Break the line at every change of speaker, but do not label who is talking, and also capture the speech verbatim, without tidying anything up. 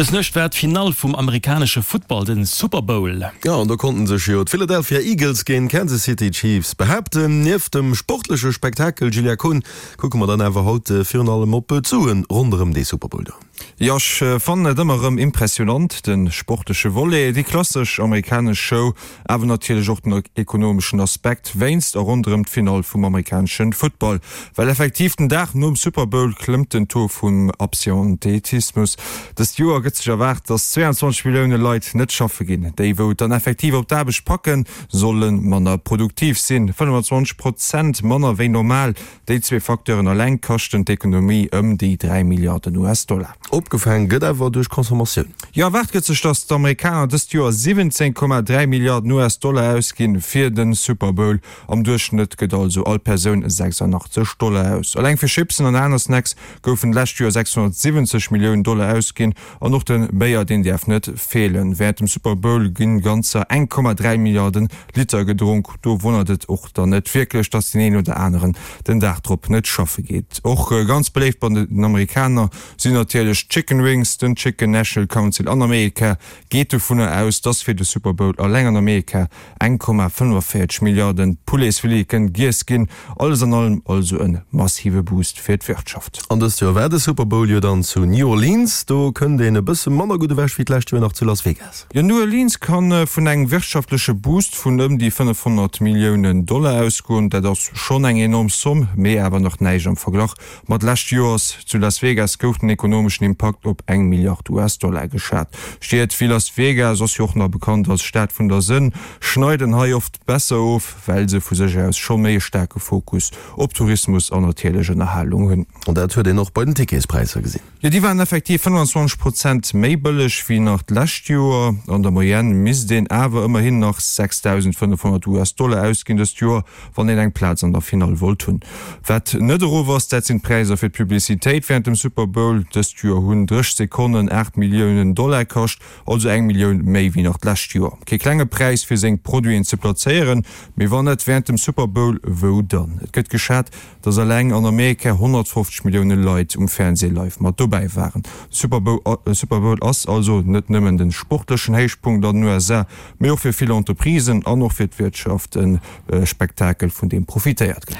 Dës Nuecht war d'Finall vum amerikanesche Futtball, den Super Bowl.
Jo, an do konnten sech jo d'Philadelphia Eagles géint d'Kansas City Chiefs behaapten. Nieft dem sportleche Spektakel, Julia Kohn, kucke mer dann awer haut virun allem op d'Suen ronderëm dee Super Bowl do.
Jo, ech fannen et ëmmer erëm impressionant, de sportleche Volet, déi klassesch amerikanesch Show, awer natierlech och den ekonomeschen Aspekt wéinst a ronderëm d'Finall vum amerikanesche Futtball. Well effektiv den Dag nom Super Bowl klëmmt den Taux vum Absenteetismus. Dëst Joer gëtt sech erwaart, datt zwee an zwanzeg Millioune Leit net schaffe ginn. Déi wou et dann effektiv op d'Aarbecht packen, solle manner produktiv sinn, fënnefenzwanzeg Prozent manner wéi normal. Déi zwee Facteuren eleng kaschten d'Ekonomie ëm déi dräi Milliarden U S-Dollar.
Opgefaang gëtt awer duerch Consommatioun.
Jo, erwaart gëtt sech, datt d'Amerikaner dëst Joer siwwenzéng Komma dräi Milliarden U S-Dollar ausginn fir de Super Bowl. Am Duerchschnëtt gëtt also all Persoun sechsanachtzeg Dollar aus. Eleng fir Chipsen an aner Snacks goufen d'lescht Joer sechshonnertsiwwenzeg Milliounen Dollar ausginn. An och de Béier, deen däerf net feelen. Wärend dem Super Bowl ginn ganzer eng Komma dräi Milliarden Liter gedronk. Do wonnert et och dann net wierklech, datt deen een oder aneren den Dag drop net schaffe geet. Och ganz beléift bei den Amerikaner sinn natierlech d'Chicken Wings. Den Chicken National Council an Amerika geet dovunner aus, datt fir de Super Bowl eleng an Amerika eng Komma fënnefenvéierzeg Milliarden Pouletsfileten giess ginn. Alles an allem also e massive Boost fir d'Wirtschaft.
An dëst Joer war de Super Bowl jo dann zu New Orleans. Do kënnt een e bësse manner gutt ewech wéi d'lescht Joer nach zu Las Vegas.
Jo, New Orleans kann vun engem wirtschaftleche Boost vun ëm déi fënnefhonnert Milliounen Dollar ausgoen. Dat ass schonn eng enorm Zomm, mee awer nach näischt am Verglach mat lescht Joers. Zu Las Vegas gouf den ekonomeschen Impakt op eng Milliard U S-Dollar geschat. Stied wéi Las Vegas, ass jo och nach bekannt als Stad vun der Sënn, schneiden hei oft besser of, well se vu sech aus scho méi e staarke Fokus op Tourismus an natierlech Ënnerhalung hunn.
An dat huet een och bei den Ticketspräisser gesinn.
Jo, déi waren effektiv fënnefenzwanzeg Prozent méi bëlleg wéi nach d'lescht Joer. An der Moyenne misst een awer ëmmerhin nach sechsdausendfënnefhonnert U S-Dollar ausginn dëst Joer, wann een eng Plaz an der Finall wollt hunn. Wat net erof ass, dat sinn d'Präisser fir d'Publicitéit wärend dem Super Bowl. Dëst Joer hunn drësseg Sekonnen aacht Milliounen Dollar kascht, also eng Millioun méi wéi nach d'lescht Joer. Kee klenge Präis fir seng Produiten ze plazéieren, mee wann net wärend dem Super Bowl, wou dann? Et gëtt geschat, dass eleng an Amerika honnertfofzeg Millioune Leit um Fernsee live mat dobäi waren. Super Bowl ass also net nëmmen de sportlechen Héichpunkt an den U S A, mee och fir vill Entreprisen an och fir d'Wirtschaft e Spektakel, vun deem profitéiert gëtt.